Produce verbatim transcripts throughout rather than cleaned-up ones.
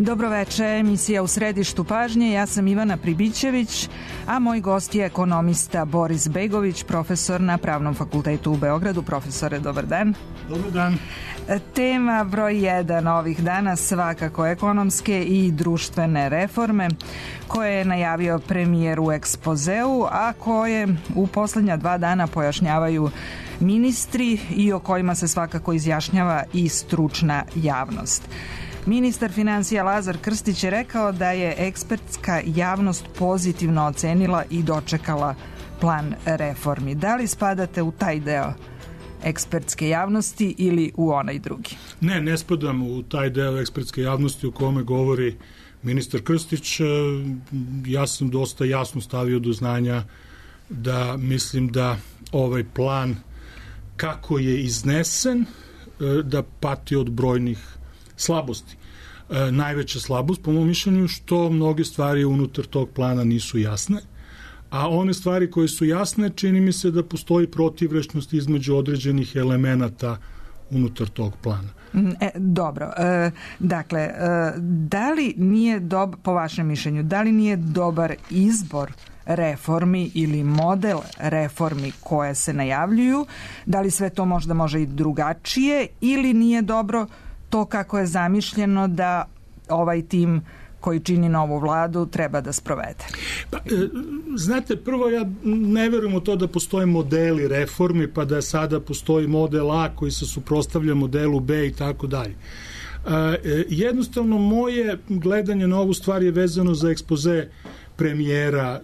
Dobroveče, emisija U središtu pažnje. Ja sam Ivana Pribićević, a moj gost je ekonomista Boris Begović, profesor na Pravnom fakultetu u Beogradu. Profesore, dobar dan. Dobar dan. Tema broj jedan ovih dana svakako ekonomske i društvene reforme koje je najavio premijer u ekspozeu, a koje u poslednja dva dana pojašnjavaju ministri i o kojima se svakako izjašnjava i stručna javnost. Ministar finansija Lazar Krstić je rekao da je ekspertska javnost pozitivno ocenila i dočekala plan reformi. Da li spadate u taj deo ekspertske javnosti ili u onaj drugi? Ne, ne spadam u taj deo ekspertske javnosti o kome govori ministar Krstić. Ja sam dosta jasno stavio do znanja da mislim da ovaj plan kako je iznesen da pati od brojnih slabosti. E, najveća slabost, po mom mišljenju, što mnoge stvari unutar tog plana nisu jasne, a one stvari koje su jasne, čini mi se da postoji protivrečnost između određenih elemenata unutar tog plana. E, dobro, e, dakle, e, da li nije, dob, po vašem mišljenju, da li nije dobar izbor reformi ili model reformi koje se najavljuju, da li sve to možda može i drugačije ili nije dobro to kako je zamišljeno da ovaj tim koji čini novu vladu treba da sprovede? Pa, znate, prvo ja ne verujem u to da postoje modeli reformi, pa da sada postoji model A koji se suprotstavlja modelu B i tako dalje. Jednostavno, moje gledanje na ovu stvar je vezano za ekspoze premijera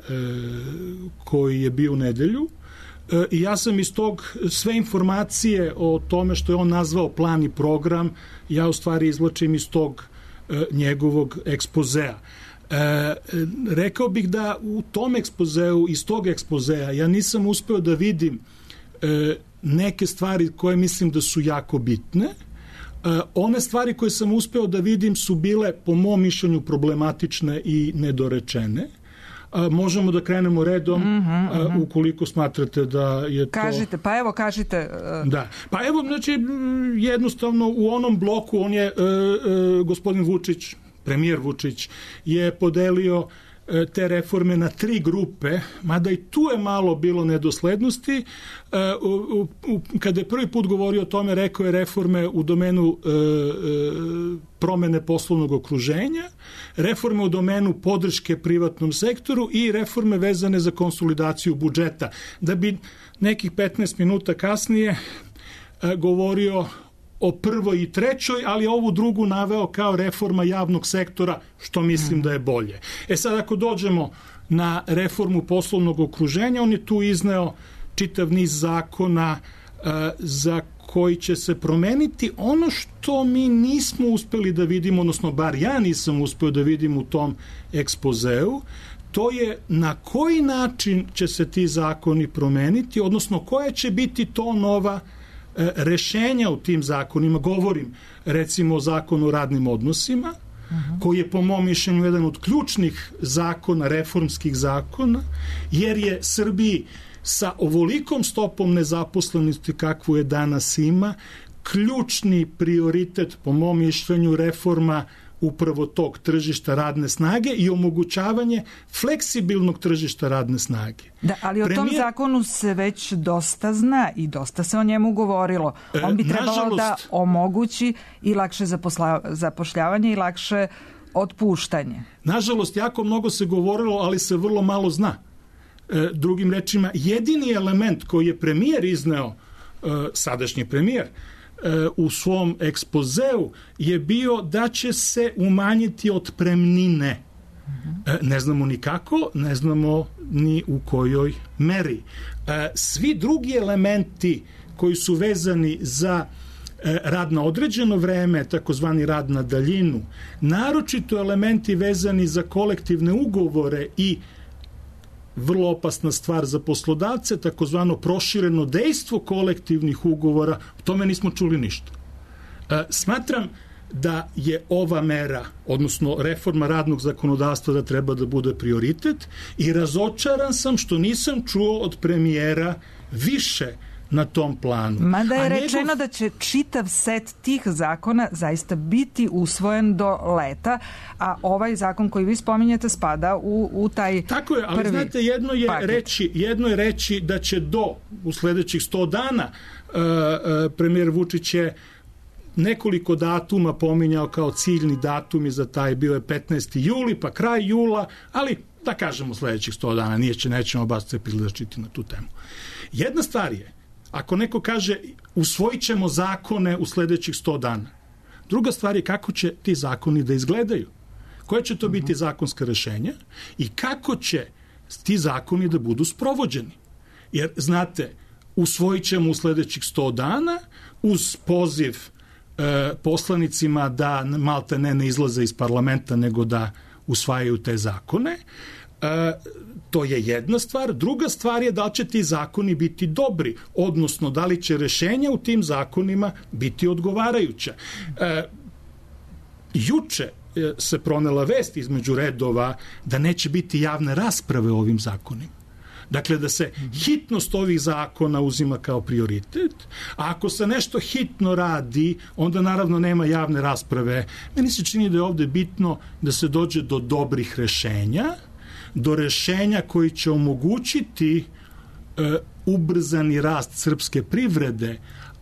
koji je bio u nedelju. I ja sam iz tog sve informacije o tome što je on nazvao plan i program, ja u stvari izvlačim iz tog e, njegovog ekspozea. E, rekao bih da u tom ekspozeu, iz tog ekspozea, ja nisam uspeo da vidim e, neke stvari koje mislim da su jako bitne. E, one stvari koje sam uspeo da vidim su bile, po mom mišljenju, problematične i nedorečene. A, možemo da krenemo redom, mm -hmm, a, ukoliko smatrate da je to... Kažite, pa evo, kažite... Uh... Da, pa evo, znači, jednostavno u onom bloku on je, uh, uh, gospodin Vučić, premijer Vučić, je podelio uh, te reforme na tri grupe, mada i tu je malo bilo nedoslednosti. Uh, u, u, kada je prvi put govorio o tome, rekao je reforme u domenu uh, uh, promene poslovnog okruženja, reforme u domenu podrške privatnom sektoru i reforme vezane za konsolidaciju budžeta. Da bi nekih petnaest minuta kasnije e, govorio o prvoj i trećoj, ali ovu drugu naveo kao reforma javnog sektora, što mislim da je bolje. E sad, ako dođemo na reformu poslovnog okruženja, on je tu izneo čitav niz zakona e, za koji će se promeniti. Ono što mi nismo uspeli da vidimo, odnosno bar ja nisam uspeo da vidim u tom ekspozeu, to je na koji način će se ti zakoni promeniti, odnosno koja će biti to nova e, rešenja u tim zakonima. Govorim recimo o zakonu o radnim odnosima, uh-huh. koji je po mom mišljenju jedan od ključnih zakona, reformskih zakona, jer je Srbiji sa ovolikom stopom nezaposlenosti kakvu je danas ima, ključni prioritet, po mom mišljenju, reforma upravo tog tržišta radne snage i omogućavanje fleksibilnog tržišta radne snage. Da, ali o Premijer... tom zakonu se već dosta zna i dosta se o njemu govorilo. On bi trebalo Nažalost... da omogući i lakše zaposla... zapošljavanje i lakše otpuštanje. Nažalost, jako mnogo se govorilo, ali se vrlo malo zna. Drugim rečima, jedini element koji je premijer izneo, sadašnji premijer, u svom ekspozeu je bio da će se umanjiti otpremnine. Ne znamo ni kako, ne znamo ni u kojoj meri. Svi drugi elementi koji su vezani za rad na određeno vreme, takozvani rad na daljinu, naročito elementi vezani za kolektivne ugovore i vrlo opasna stvar za poslodavce, takozvano prošireno dejstvo kolektivnih ugovora, o tome nismo čuli ništa. E, smatram da je ova mera, odnosno reforma radnog zakonodavstva, da treba da bude prioritet i razočaran sam što nisam čuo od premijera više na tom planu. Mada je A rečeno njegov... da će čitav set tih zakona zaista biti usvojen do leta, a ovaj zakon koji vi spominjete spada u, u taj Tako je, ali prvi znate, jedno je, paket. reći, jedno je reći da će do, u sledećih sto dana, uh, uh, premijer Vučić je nekoliko datuma pominjao kao ciljni datumi za taj, bio je petnaesti juli, pa kraj jula, ali da kažemo sledećih sto dana, nije će, nećemo baš se prilazčiti na tu temu. Jedna stvar je, ako neko kaže usvojit ćemo zakone u sledećih sto dana, druga stvar je kako će ti zakoni da izgledaju, koje će to biti zakonska rešenja i kako će ti zakoni da budu sprovođeni. Jer, znate, usvojit ćemo u sledećih sto dana uz poziv e, poslanicima da malte ne ne izlaze iz parlamenta, nego da usvajaju te zakone. E, to je jedna stvar. Druga stvar je da li će ti zakoni biti dobri, odnosno da li će rešenja u tim zakonima biti odgovarajuća. E, juče se pronela vest između redova da neće biti javne rasprave o ovim zakonima. Dakle, da se hitnost ovih zakona uzima kao prioritet, a ako se nešto hitno radi, onda naravno nema javne rasprave. Meni se čini da je ovde bitno da se dođe do dobrih rešenja, do rešenja koji će omogućiti e, ubrzani rast srpske privrede,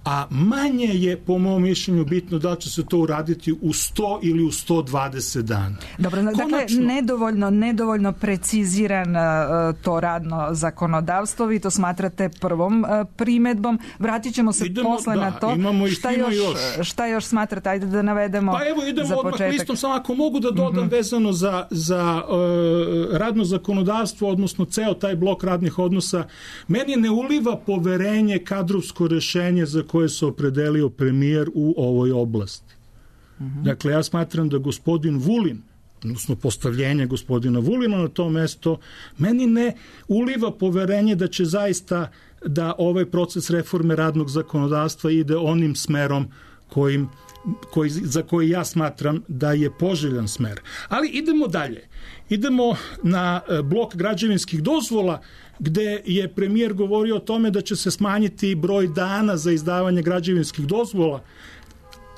a manje je, po mom mišljenju, bitno da će se to uraditi u sto ili u sto dvadeset dana. Dobro, dakle, Konačno, nedovoljno, nedovoljno preciziran uh, to radno zakonodavstvo, vi to smatrate prvom uh, primedbom. Vratit ćemo se idemo, posle da, na to. Imamo šta, još, još. šta još smatrate? Ajde da navedemo za početak. Pa evo, idemo za odmah početak. listom, samo ako mogu da dodam mm-hmm. vezano za, za uh, radno zakonodavstvo, odnosno ceo taj blok radnih odnosa, meni ne uliva poverenje kadrovsko rešenje za koje se opredelio premijer u ovoj oblasti. Mm-hmm. Dakle, ja smatram da gospodin Vulin, odnosno postavljenje gospodina Vulina na to mesto, meni ne uliva poverenje da će zaista da ovaj proces reforme radnog zakonodavstva ide onim smerom kojim, koji, za koji ja smatram da je poželjan smer. Ali idemo dalje. Idemo na blok građevinskih dozvola, gde je premijer govorio o tome da će se smanjiti broj dana za izdavanje građevinskih dozvola,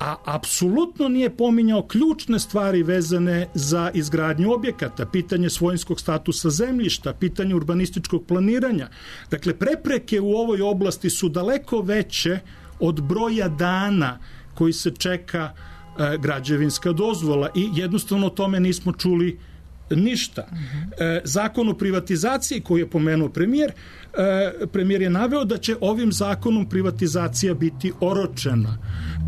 a apsolutno nije pominjao ključne stvari vezane za izgradnju objekata, pitanje svojinskog statusa zemljišta, pitanje urbanističkog planiranja. Dakle, prepreke u ovoj oblasti su daleko veće od broja dana koji se čeka e, građevinska dozvola i jednostavno o tome nismo čuli ništa. E, zakon o privatizaciji koji je pomenuo premijer, e, premijer je naveo da će ovim zakonom privatizacija biti oročena.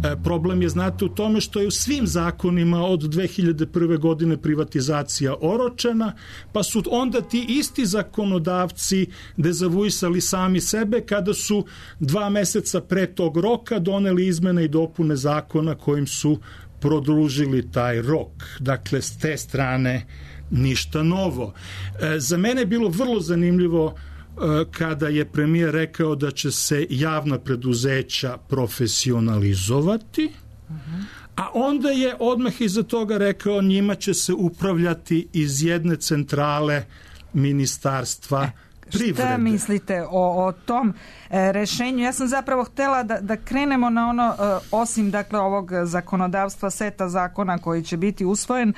E, problem je, znate, u tome što je u svim zakonima od dve hiljade prve godine privatizacija oročena, pa su onda ti isti zakonodavci dezavuisali sami sebe kada su dva meseca pre tog roka doneli izmene i dopune zakona kojim su produžili taj rok. Dakle, s te strane ništa novo. E, za mene je bilo vrlo zanimljivo e, kada je premijer rekao da će se javna preduzeća profesionalizovati, uh-huh. a onda je odmah iza toga rekao njima će se upravljati iz jedne centrale ministarstva privrede. Šta mislite o, o tom e, rešenju? Ja sam zapravo htela da, da krenemo na ono, e, osim dakle ovog zakonodavstva, seta zakona koji će biti usvojen,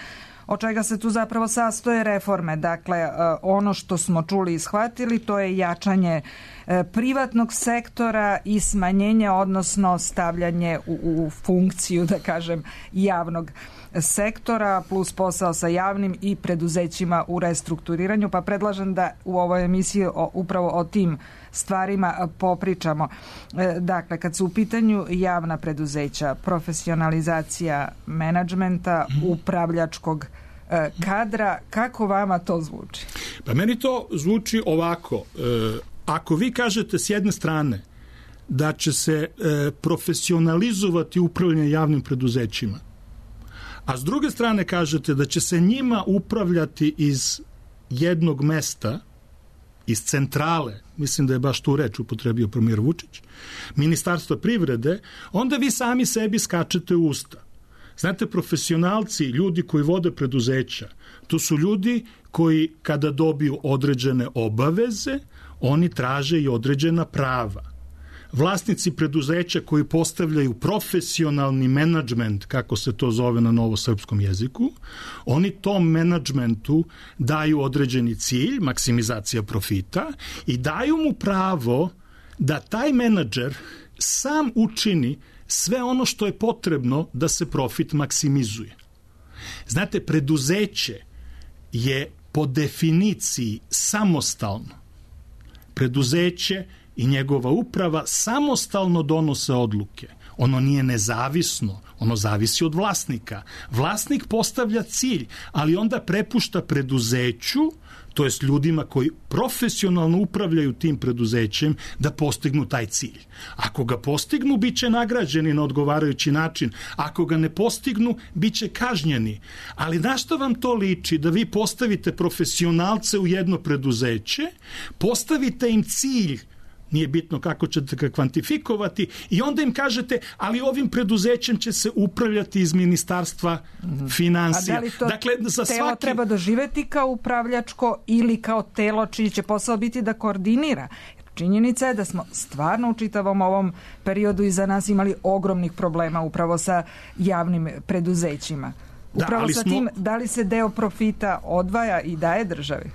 od čega se tu zapravo sastoje reforme. Dakle, ono što smo čuli i shvatili, to je jačanje privatnog sektora i smanjenje, odnosno stavljanje u, u funkciju, da kažem, javnog sektora, plus posao sa javnim i preduzećima u restrukturiranju, pa predlažem da u ovoj emisiji o, upravo o tim stvarima popričamo. Dakle, kad su u pitanju javna preduzeća, profesionalizacija menadžmenta, upravljačkog kadra, kako vama to zvuči? Pa meni to zvuči ovako. Ako vi kažete s jedne strane da će se profesionalizovati upravljanje javnim preduzećima, a s druge strane kažete da će se njima upravljati iz jednog mesta, iz centrale, mislim da je baš tu reč upotrebio premijer Vučić, Ministarstva privrede, onda vi sami sebi skačete u usta. Znate, profesionalci, ljudi koji vode preduzeća, to su ljudi koji kada dobiju određene obaveze, oni traže i određena prava. vlasnici preduzeća koji postavljaju profesionalni menadžment, kako se to zove na novosrpskom jeziku, oni tom menadžmentu daju određeni cilj, maksimizacija profita, i daju mu pravo da taj menadžer sam učini sve ono što je potrebno da se profit maksimizuje. Znate, preduzeće je po definiciji samostalno. Preduzeće i njegova uprava samostalno donose odluke. Ono nije nezavisno, ono zavisi od vlasnika. Vlasnik postavlja cilj, ali onda prepušta preduzeću, to jest ljudima koji profesionalno upravljaju tim preduzećem, da postignu taj cilj. Ako ga postignu, bit će nagrađeni na odgovarajući način. Ako ga ne postignu, bit će kažnjeni. Ali na što vam to liči? Da vi postavite profesionalce u jedno preduzeće, postavite im cilj, nije bitno kako ćete ga kvantifikovati, i onda im kažete, ali ovim preduzećem će se upravljati iz ministarstva finansija. A da li to dakle, za telo svaki... treba doživeti kao upravljačko ili kao telo čiji će posao biti da koordinira? Činjenica je da smo stvarno u čitavom ovom periodu iza nas imali ogromnih problema upravo sa javnim preduzećima. Upravo da, sa smo... tim, da li se deo profita odvaja i daje državi?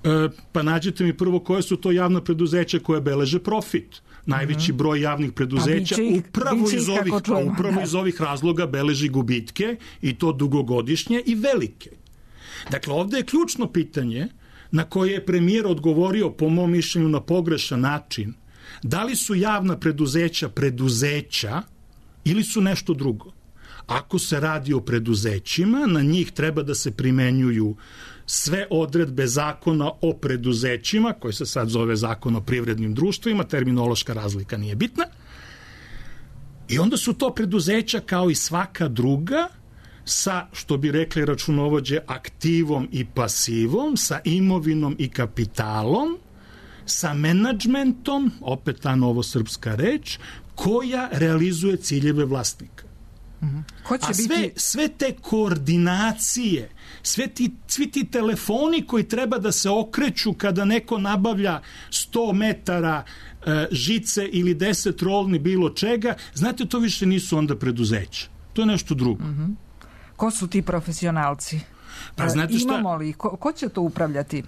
E, pa nađite mi prvo koje su to javna preduzeća koje beleže profit. Najveći mm-hmm. broj javnih preduzeća pa ih, upravo, iz ovih, čujemo, upravo iz ovih razloga beleži gubitke, i to dugogodišnje i velike. Dakle, ovde je ključno pitanje na koje je premijer odgovorio, po mom mišljenju, na pogrešan način. Da li su javna preduzeća preduzeća ili su nešto drugo? Ako se radi o preduzećima, na njih treba da se primenjuju sve odredbe zakona o preduzećima, koji se sad zove zakon o privrednim društvima, terminološka razlika nije bitna, i onda su to preduzeća kao i svaka druga, sa, što bi rekli računovođe, aktivom i pasivom, sa imovinom i kapitalom, sa menadžmentom, opet ta novosrpska reč, koja realizuje ciljeve vlasnika. Mm-hmm. Ko će A sve, biti... sve te koordinacije, sve ti, svi ti telefoni koji treba da se okreću kada neko nabavlja sto metara e, žice ili deset rolni bilo čega, znate, to više nisu onda preduzeća. To je nešto drugo. Mm-hmm. Ko su ti profesionalci? Pa, znate šta... Imamo li? Ko, ko će to upravljati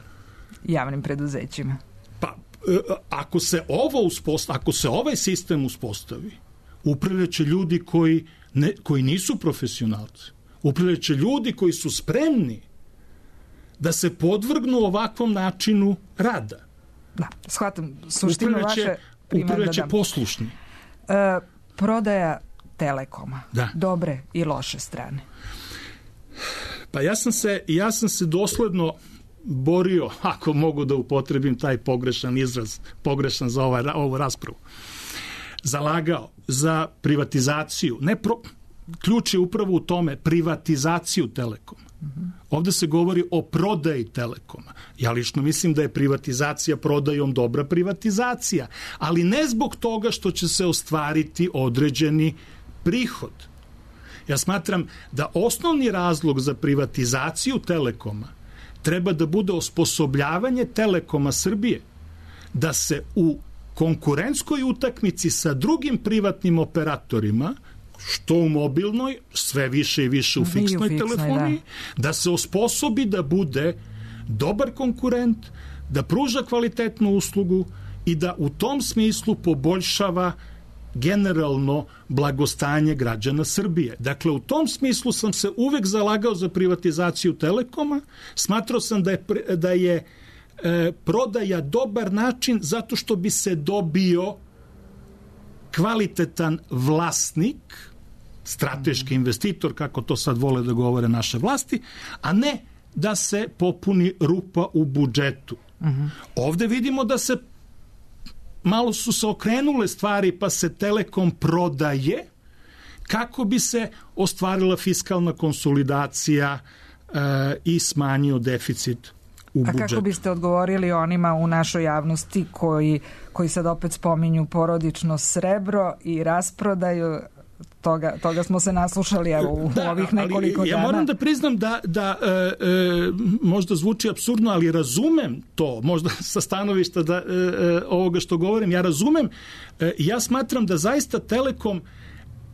javnim preduzećima? Pa, e, ako se ovo uspostavi, ako se ovaj sistem uspostavi, upravljaće ljudi koji Ne, koji nisu profesionalci. Upravljaće ljudi koji su spremni da se podvrgnu ovakvom načinu rada. Da, shvatam suštinu vaše primjedbe. Upravljaće poslušni. E, prodaja Telekoma. Da. Dobre i loše strane. Pa ja sam se, ja sam se dosledno borio, ako mogu da upotrebim taj pogrešan izraz, pogrešan za ovaj, ovu raspravu, zalagao za privatizaciju. Ne pro, ključ je upravo u tome, privatizaciju Telekoma. Mm-hmm. Ovde se govori o prodaji Telekoma. Ja lično mislim da je privatizacija prodajom dobra privatizacija, ali ne zbog toga što će se ostvariti određeni prihod. Ja smatram da osnovni razlog za privatizaciju Telekoma treba da bude osposobljavanje Telekoma Srbije da se u konkurentskoj utakmici sa drugim privatnim operatorima, što u mobilnoj, sve više i više u fiksnoj, fiksnoj telefoniji, da. da se osposobi da bude dobar konkurent, da pruža kvalitetnu uslugu i da u tom smislu poboljšava generalno blagostanje građana Srbije. Dakle, u tom smislu sam se uvek zalagao za privatizaciju Telekoma, smatrao sam da je, da je E, prodaja dobar način zato što bi se dobio kvalitetan vlasnik, strateški investitor, kako to sad vole da govore naše vlasti, a ne da se popuni rupa u budžetu. Uh-huh. Ovde vidimo da se malo su se okrenule stvari, pa se Telekom prodaje kako bi se ostvarila fiskalna konsolidacija e, i smanjio deficit. A kako biste odgovorili onima u našoj javnosti koji, koji sad opet spominju porodično srebro i rasprodaju toga, toga smo se naslušali evo, u da, ovih nekoliko ali, dana. Ja moram da priznam da, da e, e, možda zvuči apsurdno, ali razumem to, možda sa stanovišta da, e, e, ovoga što govorim, ja razumem, e, ja smatram da zaista Telekom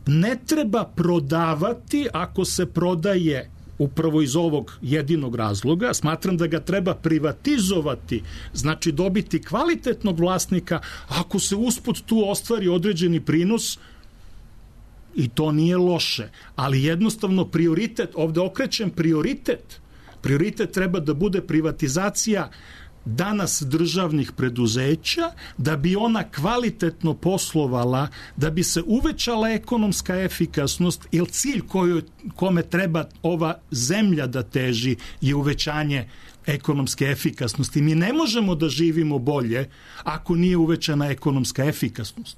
ne treba prodavati ako se prodaje upravo iz ovog jedinog razloga. Smatram da ga treba privatizovati, znači dobiti kvalitetnog vlasnika, ako se usput tu ostvari određeni prinos, i to nije loše, ali jednostavno prioritet, ovde okrećem prioritet, prioritet treba da bude privatizacija danas državnih preduzeća, da bi ona kvalitetno poslovala, da bi se uvećala ekonomska efikasnost, jer cilj koju, kome treba ova zemlja da teži je uvećanje ekonomske efikasnosti. Mi ne možemo da živimo bolje ako nije uvećana ekonomska efikasnost.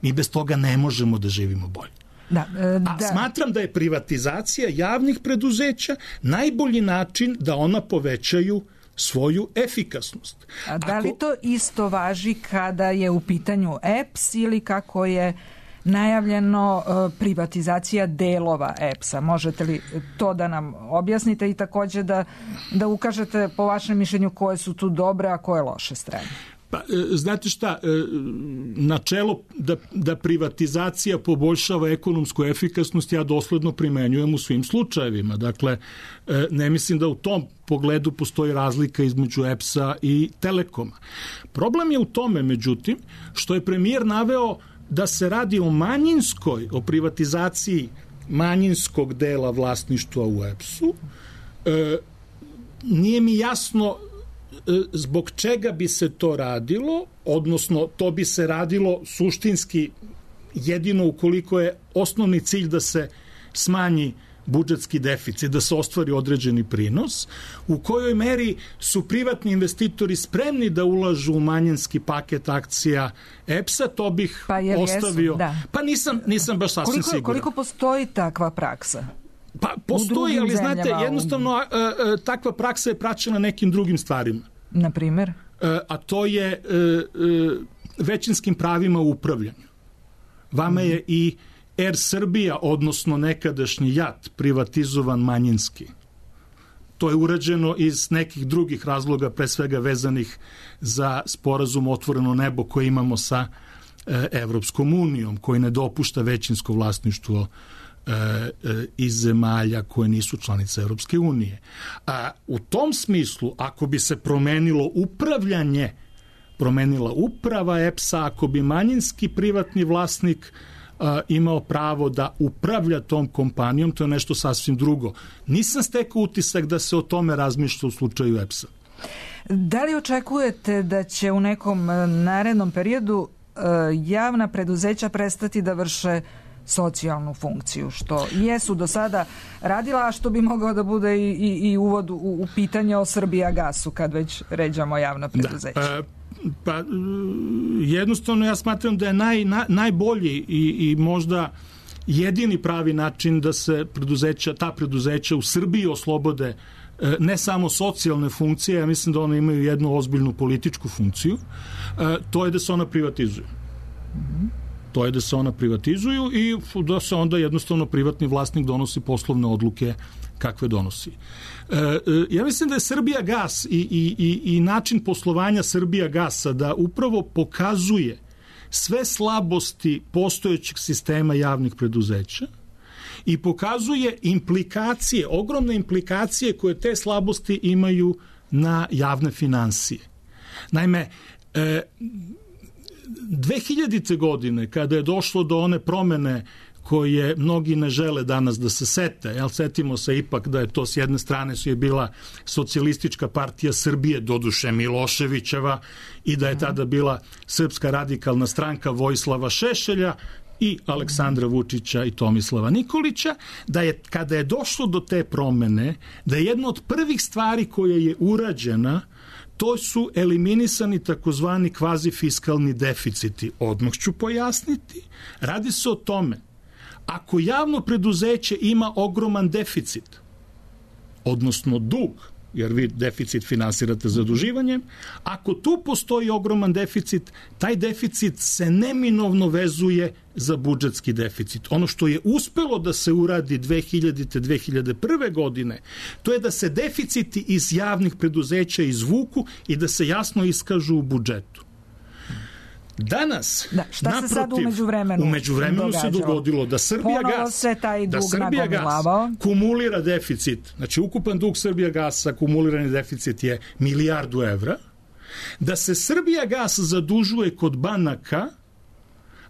Mi bez toga ne možemo da živimo bolje. Da, e, da. A smatram da je privatizacija javnih preduzeća najbolji način da ona povećaju svoju efikasnost. A da li to isto važi kada je u pitanju E P S ili kako je najavljeno privatizacija delova E P S-a? Možete li to da nam objasnite i takođe da, da ukažete po vašem mišljenju koje su tu dobre, a koje loše strane? Pa, znate šta, načelo da, da privatizacija poboljšava ekonomsku efikasnost ja dosledno primenjujem u svim slučajevima. Dakle, ne mislim da u tom pogledu postoji razlika između E P S-a i Telekoma. Problem je u tome, međutim, što je premijer naveo da se radi o manjinskoj, o privatizaciji manjinskog dela vlasništva u E P S-u. E, nije mi jasno zbog čega bi se to radilo, odnosno to bi se radilo suštinski jedino ukoliko je osnovni cilj da se smanji budžetski deficit, da se ostvari određeni prinos, u kojoj meri su privatni investitori spremni da ulažu u manjinski paket akcija E P S-a, to bih pa ostavio. Jesu, da. Pa nisam, nisam baš sasvim koliko, siguran. Koliko postoji takva praksa? Pa postoji, ali znate, jednostavno a, a, takva praksa je praćena nekim drugim stvarima. Na primer? A, a to je a, a, većinskim pravima u upravljanju. Vama je i Er Srbija, odnosno nekadašnji JAT, privatizovan manjinski. To je urađeno iz nekih drugih razloga, pre svega vezanih za sporazum Otvoreno nebo koji imamo sa e, Evropskom unijom, koji ne dopušta većinsko vlasništvo e, e, iz zemalja koje nisu članice Evropske unije. A u tom smislu, ako bi se promenilo upravljanje, promenila uprava E P S-a, ako bi manjinski privatni vlasnik Uh, imao pravo da upravlja tom kompanijom, to je nešto sasvim drugo. Nisam stekao utisak da se o tome razmišlja u slučaju E P S-a. Da li očekujete da će u nekom narednom periodu uh, javna preduzeća prestati da vrše socijalnu funkciju, što jesu do sada radila, a što bi mogao da bude i, i, i uvod u, u pitanje o Srbijagasu, kad već ređamo javna preduzeća? Da, uh, Pa jednostavno ja smatram da je naj, na, najbolji i, i možda jedini pravi način da se preduzeća, ta preduzeća u Srbiji oslobode ne samo socijalne funkcije, ja mislim da one imaju jednu ozbiljnu političku funkciju, to je da se ona privatizuju. Mm-hmm. To je da se ona privatizuju i da se onda jednostavno privatni vlasnik donosi poslovne odluke kakve donosi. E, ja mislim da je Srbijagas i, i, i, i način poslovanja Srbijagasa da upravo pokazuje sve slabosti postojećeg sistema javnih preduzeća i pokazuje implikacije, ogromne implikacije koje te slabosti imaju na javne finansije. Naime, e, dve hiljadite. godine, kada je došlo do one promene koje mnogi ne žele danas da se sete, jel, setimo se ipak da je to s jedne strane su je bila Socijalistička partija Srbije, doduše Miloševićeva, i da je tada bila Srpska radikalna stranka Vojislava Šešelja i Aleksandra Vučića i Tomislava Nikolića, da je kada je došlo do te promene, da je jedna od prvih stvari koja je urađena, to su eliminisani takozvani kvazifiskalni deficiti. Odmah ću pojasniti. Radi se o tome, ako javno preduzeće ima ogroman deficit, odnosno dug, jer vi deficit finansirate zaduživanjem, ako tu postoji ogroman deficit, taj deficit se neminovno vezuje za budžetski deficit. Ono što je uspelo da se uradi dve hiljadite. dve hiljade prve. godine, to je da se deficiti iz javnih preduzeća izvuku i da se jasno iskažu u budžetu. Danas, da, šta naprotiv, se sad u međuvremenu, u međuvremenu se dogodilo da Srbija gas, se taj da dug Srbija gas kumulira deficit, znači ukupan dug Srbija gasa, kumulirani deficit je milijardu evra, da se Srbija gas zadužuje kod banaka,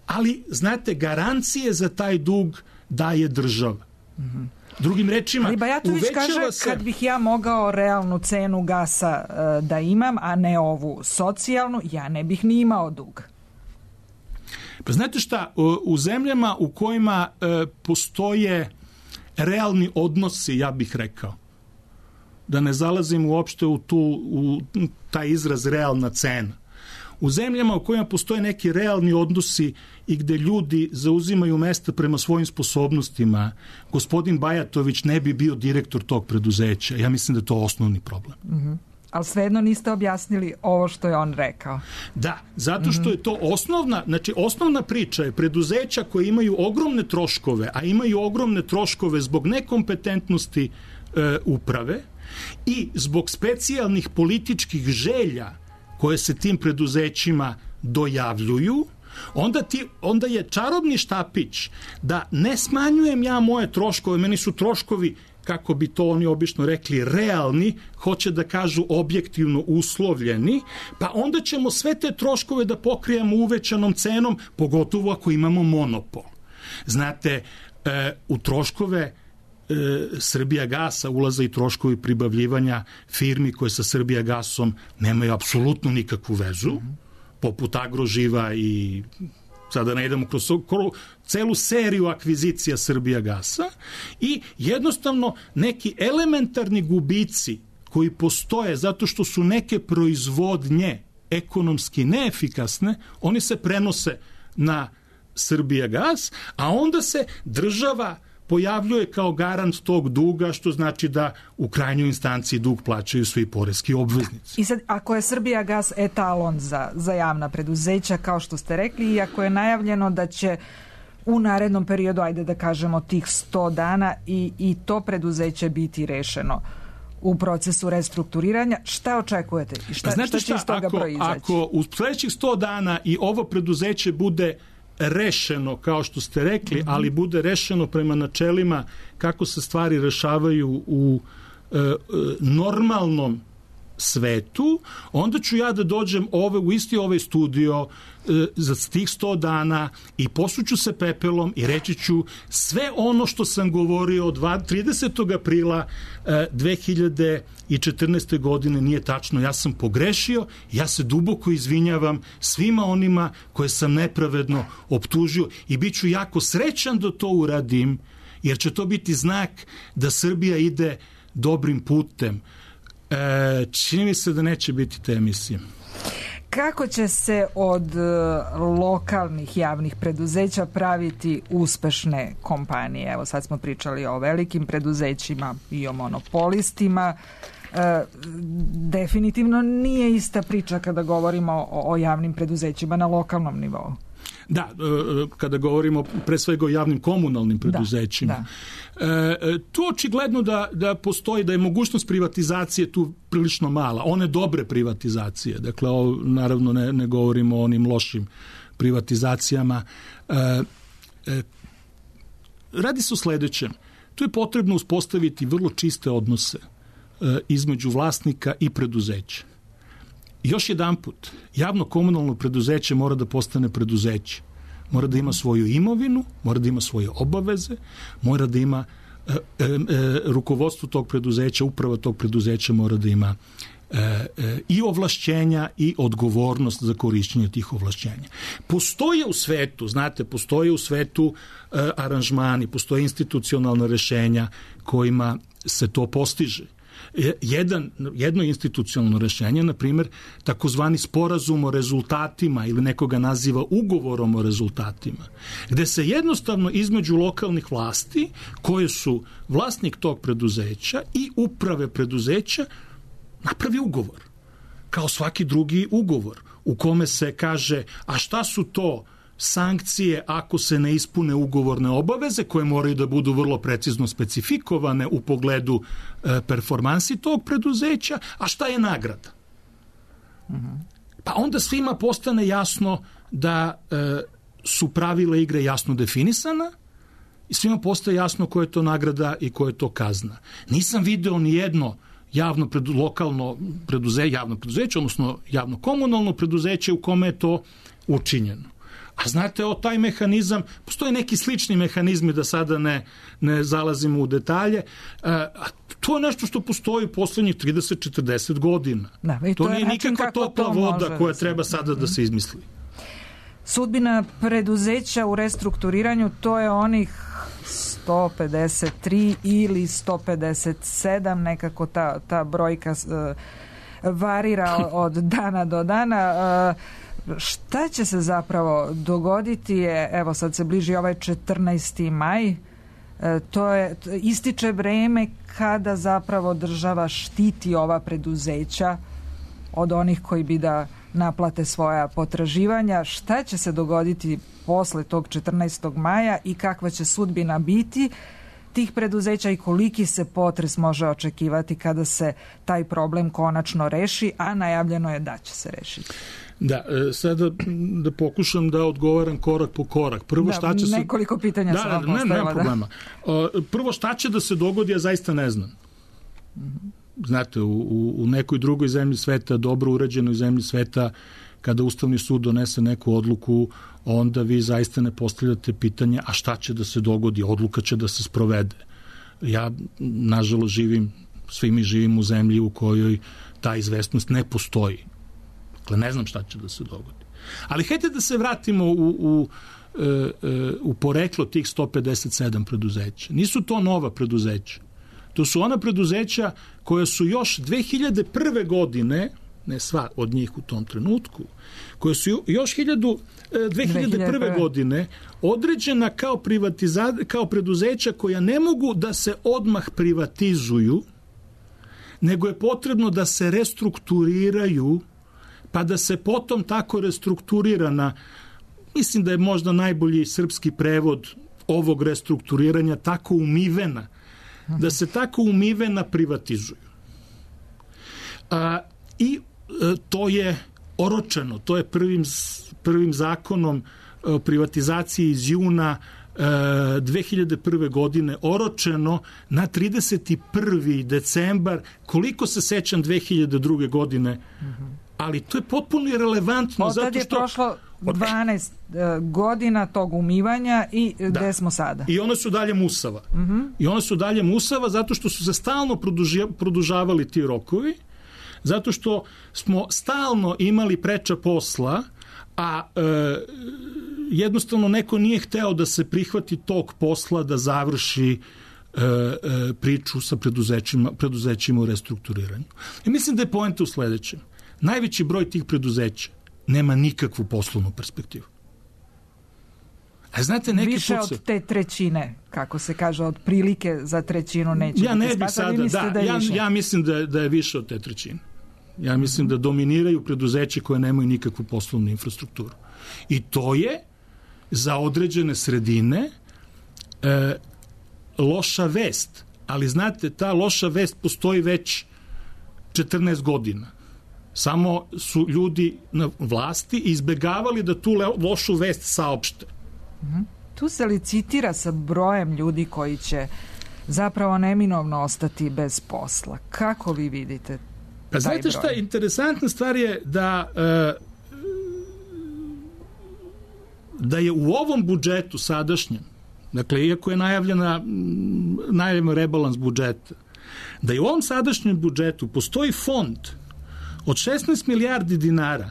ali, znate, garancije za taj dug daje država. Mm-hmm. Drugim rečima, ali Bajatović kaže, se... kad bih ja mogao realnu cenu gasa uh, da imam, a ne ovu socijalnu, ja ne bih ni imao dug. Pa znate šta, u zemljama u kojima uh, postoje realni odnosi, ja bih rekao, da ne zalazim uopšte u, tu, u taj izraz realna cena, u zemljama u kojima postoje neki realni odnosi i gde ljudi zauzimaju mesta prema svojim sposobnostima, gospodin Bajatović ne bi bio direktor tog preduzeća. Ja mislim da je to osnovni problem. Mm-hmm. Ali svejedno niste objasnili ovo što je on rekao. Da, zato što je to osnovna, znači osnovna priča je preduzeća koje imaju ogromne troškove, a imaju ogromne troškove zbog nekompetentnosti e, uprave i zbog specijalnih političkih želja koje se tim preduzećima dojavljuju, onda, ti, onda je čarobni štapić da ne smanjujem ja moje troškove, meni su troškovi, kako bi to oni obično rekli, realni, hoće da kažu objektivno uslovljeni, pa onda ćemo sve te troškove da pokrijemo uvećanom cenom, pogotovo ako imamo monopol. Znate, e, u troškove Srbija gasa ulaze i troškovi pribavljivanja firmi koje sa Srbija gasom nemaju apsolutno nikakvu vezu, poput Agroživa i sada ne idemo kroz celu seriju akvizicija Srbija gasa i jednostavno neki elementarni gubici koji postoje zato što su neke proizvodnje ekonomski neefikasne, oni se prenose na Srbija gas, a onda se država pojavljuje kao garant tog duga, što znači da u krajnjoj instanciji dug plaćaju svi poreski obveznici. I sad, ako je Srbija gas etalon za, za javna preduzeća, kao što ste rekli, i ako je najavljeno da će u narednom periodu, ajde da kažemo tih sto dana, i, i to preduzeće biti rešeno u procesu restrukturiranja, šta očekujete? I šta, Znate šta će iz toga ako, proizaći? Ako u sledećih sto dana i ovo preduzeće bude rešeno, kao što ste rekli, mm-hmm. ali bude rešeno prema načelima kako se stvari rešavaju u e, e, normalnom svetu, onda ću ja da dođem ove, u isti ovaj studio e, za tih sto dana i posuću se pepelom i reći ću sve ono što sam govorio od tridesetog aprila e, dve hiljade četrnaeste. godine nije tačno. Ja sam pogrešio, ja se duboko izvinjavam svima onima koje sam nepravedno optužio i bit ću jako srećan da to uradim, jer će to biti znak da Srbija ide dobrim putem. E, čini mi se da neće biti te emisije. Kako će se od lokalnih javnih preduzeća praviti uspešne kompanije? Evo sad smo pričali o velikim preduzećima i o monopolistima. E, definitivno nije ista priča kada govorimo o, o javnim preduzećima na lokalnom nivou. Da, kada govorimo pre svega o javnim komunalnim preduzećima. Da, da. Tu očigledno da, da postoji, da je mogućnost privatizacije tu prilično mala. One dobre privatizacije, dakle, ovo, naravno ne, ne govorimo o onim lošim privatizacijama. E, e, radi se o sledećem. Tu je potrebno uspostaviti vrlo čiste odnose e, između vlasnika i preduzeća. Još jedan put, javno komunalno preduzeće mora da postane preduzeće. Mora da ima svoju imovinu, mora da ima svoje obaveze, mora da ima e, e, e, rukovodstvo tog preduzeća, uprava tog preduzeća mora da ima e, e, i ovlašćenja i odgovornost za korišćenje tih ovlašćenja. Postoje u svetu, znate, postoje u svetu e, aranžmani, postoje institucionalna rešenja kojima se to postiže. Jedan, jedno institucionalno rešenje, na primjer, takozvani sporazum o rezultatima ili nekoga naziva ugovorom o rezultatima, gde se jednostavno između lokalnih vlasti, koje su vlasnik tog preduzeća i uprave preduzeća, napravi ugovor, kao svaki drugi ugovor, u kome se kaže, a šta su to sankcije ako se ne ispune ugovorne obaveze koje moraju da budu vrlo precizno specifikovane u pogledu e, performansi tog preduzeća, a šta je nagrada? Mm-hmm. Pa onda svima postane jasno da e, su pravila igre jasno definisana i svima postaje jasno koja je to nagrada i koja je to kazna. Nisam video ni jedno javno predu, lokalno preduzeće, javno preduzeće, odnosno javno komunalno preduzeće u kome je to učinjeno. A znate, o taj mehanizam, postoje neki slični mehanizmi, da sada ne, ne zalazimo u detalje, a to je nešto što postoji u poslednjih trideset do četrdeset godina. Da, to, to nije nikakva topla voda koja treba sada da se izmisli. Sudbina preduzeća u restrukturiranju, to je onih sto pedeset tri ili sto pedeset sedam, nekako ta, ta brojka uh, varira od dana do dana. Uh, šta će se zapravo dogoditi je, evo sad se bliži ovaj četrnaesti maj, uh, to je, to ističe vreme kada zapravo država štiti ova preduzeća od onih koji bi da naplate svoja potraživanja. Šta će se dogoditi posle tog četrnaestog maja i kakva će sudbina biti tih preduzeća i koliki se potres može očekivati kada se taj problem konačno reši, a najavljeno je da će se rešiti? Da, sada da pokušam da odgovaram korak po korak. Prvo, da, šta će se... nekoliko pitanja da, sam vam ne, postavila. Nema problema. Da. Prvo, šta će da se dogodi, ja zaista ne znam. Mm-hmm. Znate, u, u nekoj drugoj zemlji sveta, dobro urađenoj zemlji sveta, kada Ustavni sud donese neku odluku, onda vi zaista ne postavljate pitanje, a šta će da se dogodi? Odluka će da se sprovede. Ja, nažalost, živim, svi mi živim u zemlji u kojoj ta izvesnost ne postoji. Dakle, ne znam šta će da se dogodi. Ali hajde da se vratimo u, u, u poreklo tih sto pedeset sedam preduzeća. Nisu to nova preduzeća. To su ona preduzeća koja su još dve hiljade prve godine, ne sva od njih u tom trenutku, koje su još dve hiljade prve godine određena kao, privatiza, kao preduzeća koja ne mogu da se odmah privatizuju, nego je potrebno da se restrukturiraju, pa da se potom tako restrukturirana, mislim da je možda najbolji srpski prevod ovog restrukturiranja, tako umivena, da se tako umivena privatizuju. A, I a, to je oročeno, to je prvim, prvim zakonom o privatizaciji iz juna a, dve hiljade prve godine oročeno na trideset prvi decembar, koliko se sećam dve hiljade druge godine, ali to je potpuno irelevantno. Od tad je što... prošlo dvanaest godina tog umivanja i da. Gde smo sada? I one su dalje musava. Uh-huh. I one su dalje musava zato što su se stalno produži, produžavali ti rokovi, zato što smo stalno imali preča posla, a e, jednostavno neko nije hteo da se prihvati tog posla da završi e, e, priču sa preduzećima, preduzećima u restrukturiranju. I mislim da je poenta u sledećem. Najveći broj tih preduzeća nema nikakvu poslovnu perspektivu. A znate, neki više put se... od te trećine, kako se kaže, od prilike za trećinu neće ja biti ne bih sada, da, da ja, ja mislim da, da je više od te trećine. Ja mislim da dominiraju preduzeće koje nemaju nikakvu poslovnu infrastrukturu. I to je za određene sredine e, loša vest. Ali znate, ta loša vest postoji već četrnaest godina. Samo su ljudi na vlasti izbegavali da tu lošu vest saopšte. Tu se licitira sa brojem ljudi koji će zapravo neminovno ostati bez posla. Kako vi vidite pa taj znate šta, interesantna stvar je da da je u ovom budžetu sadašnjem, dakle, iako je najavljena najavljen rebalans budžeta, da je u ovom sadašnjem budžetu postoji fond od šesnaest milijardi dinara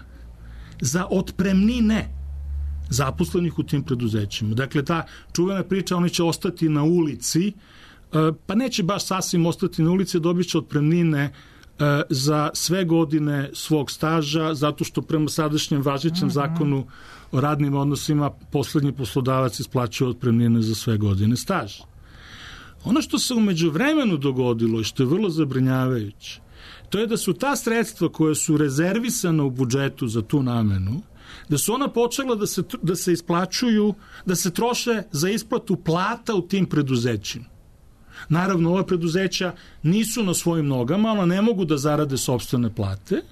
za otpremnine zaposlenih u tim preduzećima. Dakle, ta čuvena priča, oni će ostati na ulici, pa neće baš sasvim ostati na ulici, dobit će otpremnine za sve godine svog staža, zato što prema sadašnjem važećem zakonu o radnim odnosima poslednji poslodavac isplaćuje otpremnine za sve godine staža. Ono što se umeđu vremenu dogodilo i što je vrlo zabrinjavajuće, to je da su ta sredstva koja su rezervisana u budžetu za tu namenu da su ona počela da se, da se isplaćuju, da se troše za isplatu plata u tim preduzećima. Naravno, ova preduzeća nisu na svojim nogama, ona ne mogu da zarade sopstvene plate.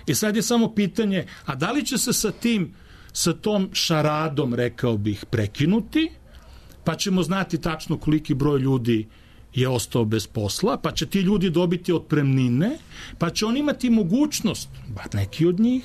I sad je samo pitanje, a da li će se sa tim, sa tom šaradom, rekao bih, prekinuti, pa ćemo znati tačno koliki broj ljudi je ostao bez posla, pa će ti ljudi dobiti otpremnine, pa će oni imati mogućnost, bar neki od njih,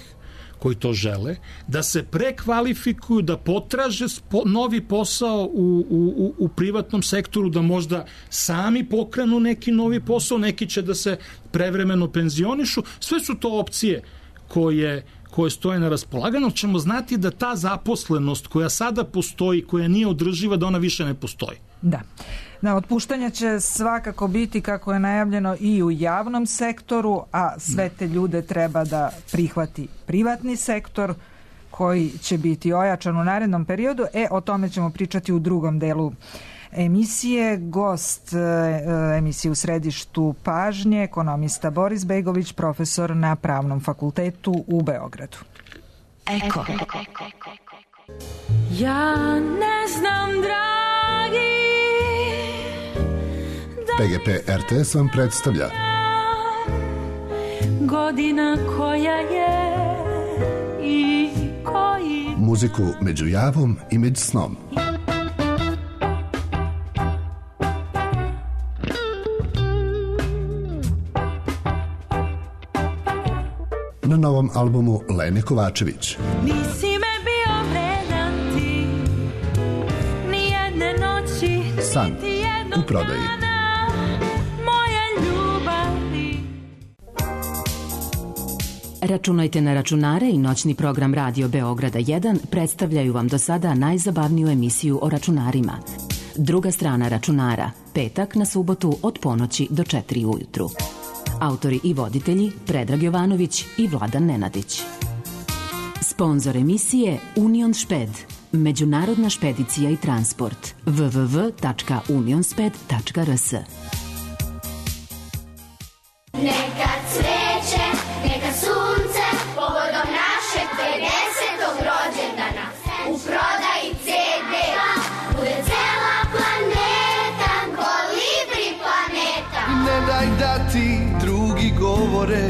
koji to žele, da se prekvalifikuju, da potraže novi posao u, u, u privatnom sektoru, da možda sami pokrenu neki novi posao, neki će da se prevremeno penzionišu. Sve su to opcije koje, koje stoje na raspolaganju. Ćemo znati da ta zaposlenost koja sada postoji, koja nije održiva, da ona više ne postoji. Da. Da, otpuštanja će svakako biti, kako je najavljeno, i u javnom sektoru, a sve te ljude treba da prihvati privatni sektor, koji će biti ojačan u narednom periodu. E, o tome ćemo pričati u drugom delu emisije. Gost e, emisije U središtu pažnje, ekonomista Boris Begović, profesor na Pravnom fakultetu u Beogradu. Eko. Ja ne znam, dragi, P G P R T S vam predstavlja godina koja je i koji muziku među javom i među snom. Na novom albumu Lene Kovačević. Nisi me bio vredan ti, ni jedne noći, San u prodaji. Računajte na računare i noćni program Radio Beograda jedan predstavljaju vam do sada najzabavniju emisiju o računarima. Druga strana računara, petak na subotu od ponoći do četiri ujutru. Autori i voditelji Predrag Jovanović i Vladan Nenadić. Sponzor emisije Union Šped, međunarodna špedicija i transport. w w w tačka unionsped tačka r s. Neka cveće, neka sunce, povodom našeg pedesetog rođendana. U prodaji ce de bude cela planeta, kolibri planeta. Ne daj da ti drugi govore,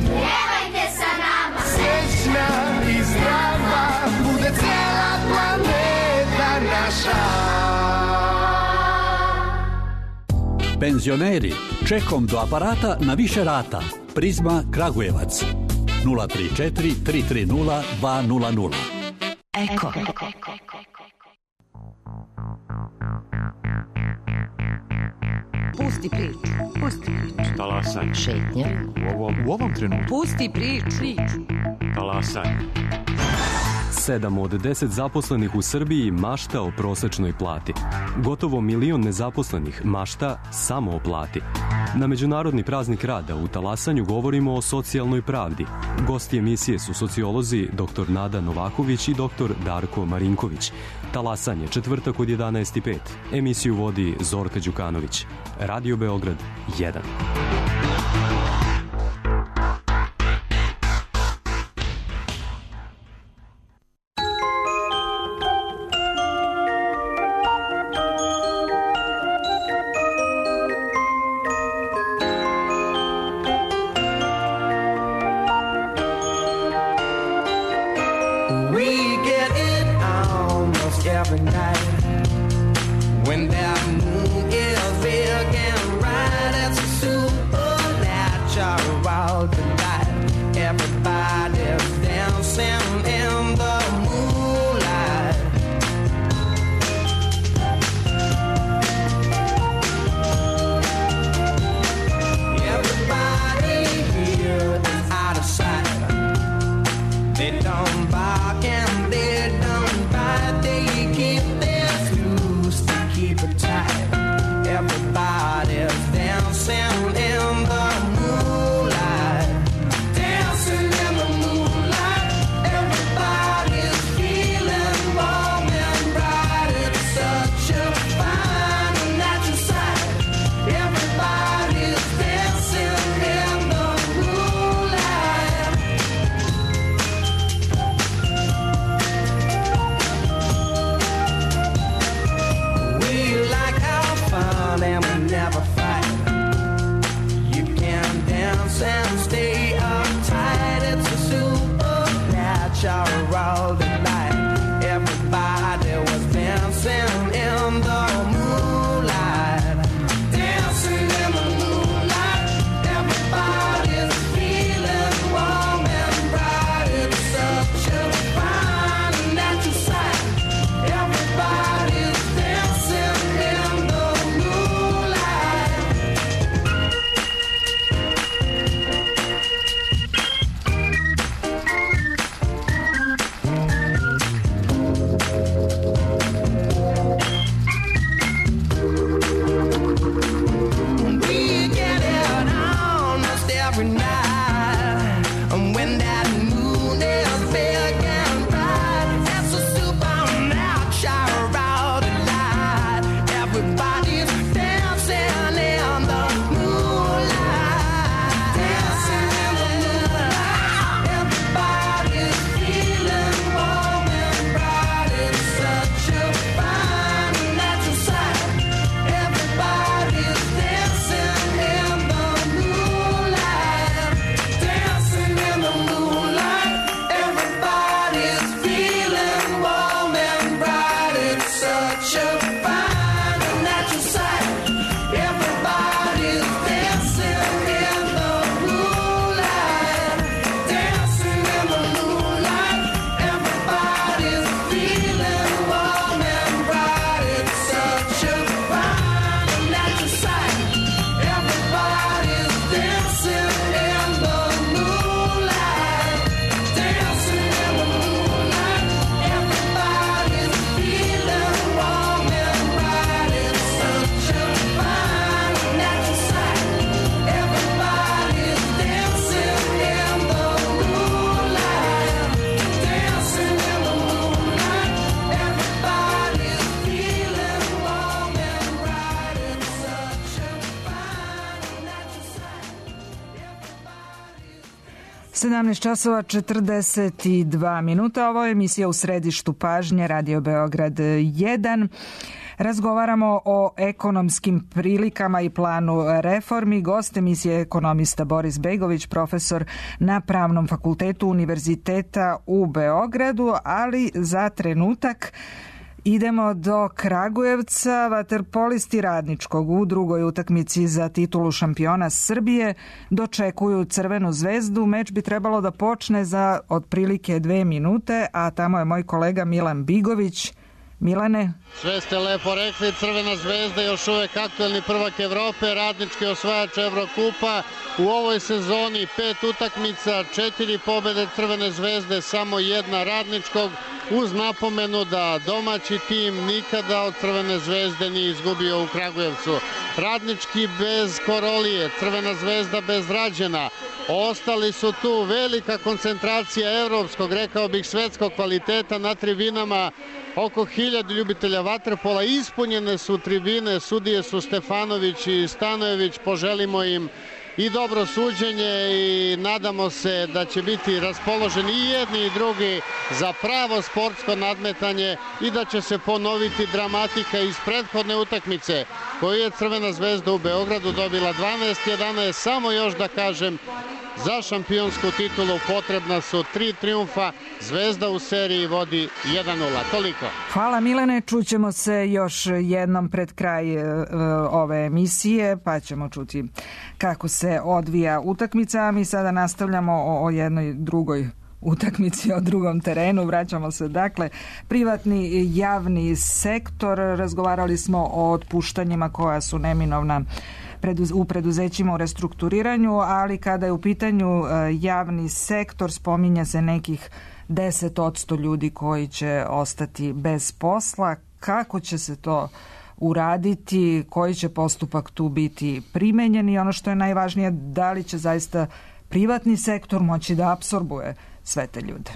Pjevajte sa nama, srećna i zdrava, bude cela planeta naša. Penzioneri, čekom do aparata na više rata. Prizma Kragujevac. nula tri četiri tri tri nula dva nula nula. Eko. Pusti priču, pusti priču. Talasaj. Šetnja. U ovom, u ovom trenutku. Pusti priču. Talasaj. Sedam od deset zaposlenih u Srbiji mašta o prosečnoj plati. Gotovo milion nezaposlenih mašta samo o plati. Na Međunarodni praznik rada u Talasanju govorimo o socijalnoj pravdi. Gosti emisije su sociolozi dr Nada Novaković i dr Darko Marinković. Talasanje, četvrtak od jedanaest i pet. Emisiju vodi Zorka Đukanović. Radio Beograd jedan. sedamnaest časova četrdeset dva minuta. Ovo je emisija U središtu pažnje, Radio Beograd jedan. Razgovaramo o ekonomskim prilikama i planu reformi. Gost emisije je ekonomista Boris Begović, profesor na Pravnom fakultetu Univerziteta u Beogradu, ali za trenutak idemo do Kragujevca. Vaterpolisti Radničkog u drugoj utakmici za titulu šampiona Srbije dočekuju Crvenu zvezdu. Meč bi trebalo da počne za otprilike dve minute, a tamo je moj kolega Milan Bigović. Milane? Sve ste lepo rekli, Crvena zvezda još uvek aktuelni prvak Evrope, Radnički osvajač Evrokupa. U ovoj sezoni pet utakmica, četiri pobede Crvene zvezde, samo jedna Radničkog, uz napomenu da domaći tim nikada od Crvene zvezde nije izgubio u Kragujevcu. Radnički bez Korolije, Crvena zvezda bez Rađena. Ostali su tu, velika koncentracija evropskog, rekao bih svetskog kvaliteta na tribinama, oko hiljadu ljubitelja vaterpola, ispunjene su tribine, sudije su Stefanović i Stanojević, poželimo im i dobro suđenje i nadamo se da će biti raspoloženi i jedni i drugi za pravo sportsko nadmetanje i da će se ponoviti dramatika iz prethodne utakmice koju je Crvena zvezda u Beogradu dobila dvanaest jedanaest. Samo još da kažem, za šampionsku titulu potrebna su tri trijumfa, Zvezda u seriji vodi jedan nula. Toliko. Hvala Milane, čućemo se još jednom pred kraj uh, ove emisije, pa ćemo čuti kako se odvija utakmica, a mi sada nastavljamo o, o jednoj drugoj utakmici, o drugom terenu. Vraćamo se, dakle, privatni i javni sektor. Razgovarali smo o otpuštanjima koja su neminovna u preduzećima u restrukturiranju, ali kada je u pitanju javni sektor, spominje se nekih deset posto ljudi koji će ostati bez posla. Kako će se to uraditi, koji će postupak tu biti primenjen i ono što je najvažnije, da li će zaista privatni sektor moći da apsorbuje sve te ljude?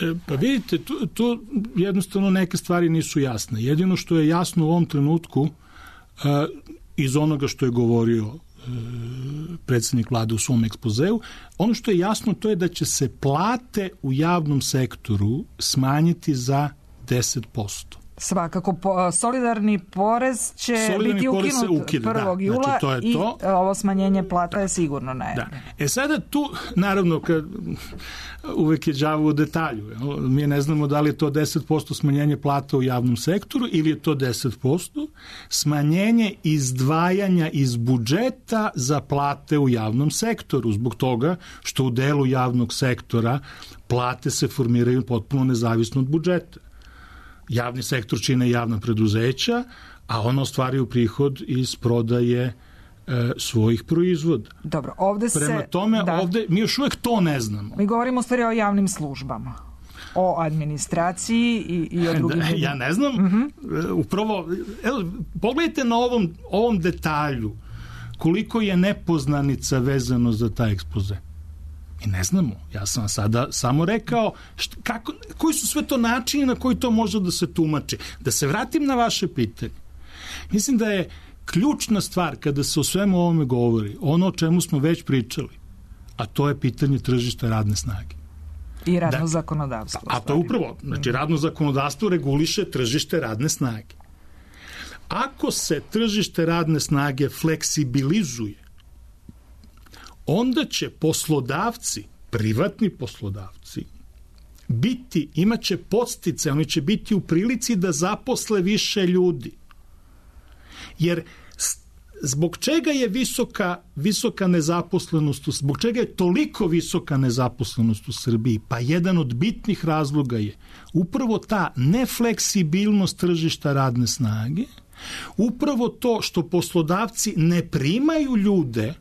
E, pa vidite, tu, tu jednostavno neke stvari nisu jasne. Jedino što je jasno u ovom trenutku, e, iz onoga što je govorio e, predsjednik vlade u svom ekspozeu, ono što je jasno to je da će se plate u javnom sektoru smanjiti za deset posto. Svakako, po, solidarni porez će solidarni biti ukinut ukida, prvog da, jula, znači to je i to. Ovo smanjenje plata je sigurno najavljeno. Da. E sada tu, naravno, kad, uvek je đavo u detalju. Mi ne znamo da li je to deset posto smanjenje plata u javnom sektoru ili je to deset posto smanjenje izdvajanja iz budžeta za plate u javnom sektoru, zbog toga što u delu javnog sektora plate se formiraju potpuno nezavisno od budžeta. Javni sektor čine javna preduzeća, a ono ostvaruju prihod iz prodaje e, svojih proizvoda. Dobro, ovde se... Prema tome, da. ovde, mi još uvek to ne znamo. Mi govorimo u stvari o javnim službama, o administraciji i, i o drugim... Da, ja ne znam, uh-huh. upravo, evo, pogledajte na ovom, ovom detalju koliko je nepoznanica vezano za taj ekspoze. Mi ne znamo. Ja sam sada samo rekao šta, kako, koji su sve to načini na koji to može da se tumači. Da se vratim na vaše pitanje. Mislim da je ključna stvar kada se o svemu ovome govori, ono o čemu smo već pričali, a to je pitanje tržišta radne snage. I radno da, zakonodavstvo. A to upravo, znači radno zakonodavstvo reguliše tržište radne snage. Ako se tržište radne snage fleksibilizuje, onda će poslodavci, privatni poslodavci, biti, imaće podstice, oni će biti u prilici da zaposle više ljudi. Jer zbog čega je visoka, visoka nezaposlenost, zbog čega je toliko visoka nezaposlenost u Srbiji? Pa jedan od bitnih razloga je upravo ta nefleksibilnost tržišta radne snage, upravo to što poslodavci ne primaju ljude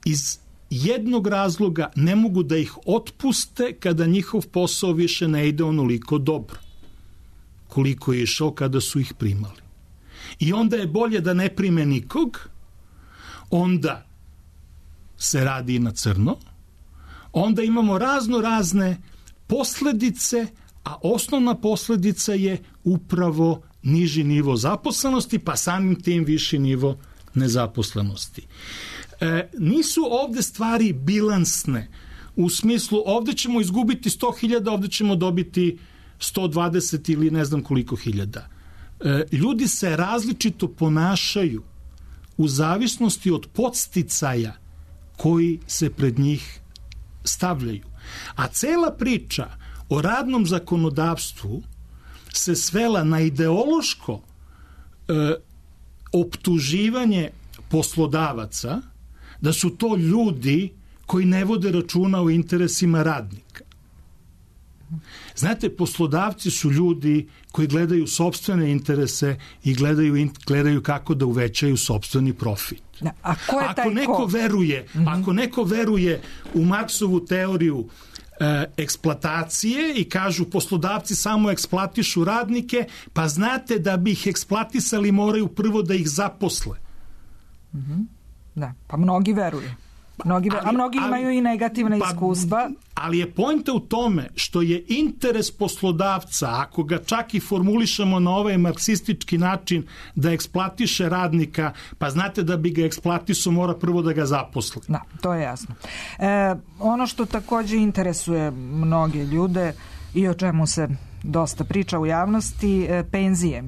iz jednog razloga, ne mogu da ih otpuste kada njihov posao više ne ide onoliko dobro koliko je išao kada su ih primali. I onda je bolje da ne prime nikog, onda se radi i na crno, onda imamo razno razne posledice, a osnovna posledica je upravo niži nivo zaposlenosti, pa samim tim viši nivo nezaposlenosti. E, nisu ovde stvari bilansne. u smislu ovde ćemo izgubiti sto hiljada, ovde ćemo dobiti sto dvadeset ili ne znam koliko hiljada. E, ljudi se različito ponašaju u zavisnosti od podsticaja koji se pred njih stavljaju. A cela priča o radnom zakonodavstvu se svela na ideološko e, optuživanje poslodavaca da su to ljudi koji ne vode računa o interesima radnika. Znate, poslodavci su ljudi koji gledaju sopstvene interese i gledaju, gledaju kako da uvećaju sopstveni profit. Da, a ko je taj ako neko ko? veruje, mm-hmm. ako neko veruje u Marksovu teoriju e, eksploatacije i kažu poslodavci samo eksploatišu radnike, pa znate da bi ih eksploatisali moraju prvo da ih zaposle. Mm-hmm. Da, pa mnogi veruju. Mnogi, ali, a mnogi ali, imaju i negativna pa, iskustva. Ali je poenta u tome što je interes poslodavca, ako ga čak i formulišemo na ovaj marksistički način, da eksploatiše radnika, pa znate da bi ga eksploatisao mora prvo da ga zaposli. Da, to je jasno. E, ono što takođe interesuje mnoge ljude i o čemu se dosta priča u javnosti, e, penzije.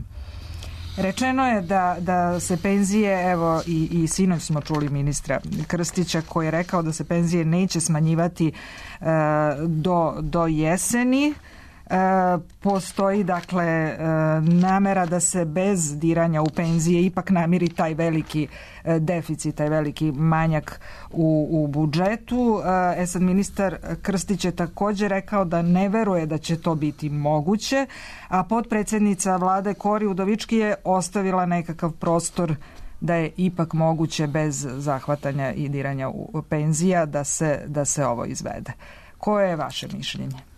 Rečeno je da, da se penzije, evo i, i sinoć smo čuli ministra Krstića koji je rekao da se penzije neće smanjivati e, do, do jeseni. E, postoji dakle e, namera da se bez diranja u penzije ipak namiri taj veliki e, deficit, taj veliki manjak u, u budžetu. E sad ministar Krstić je također rekao da ne veruje da će to biti moguće, a potpredsjednica vlade Kori Udovički je ostavila nekakav prostor da je ipak moguće bez zahvatanja i diranja u penzija da se, da se ovo izvede. Koje je vaše mišljenje?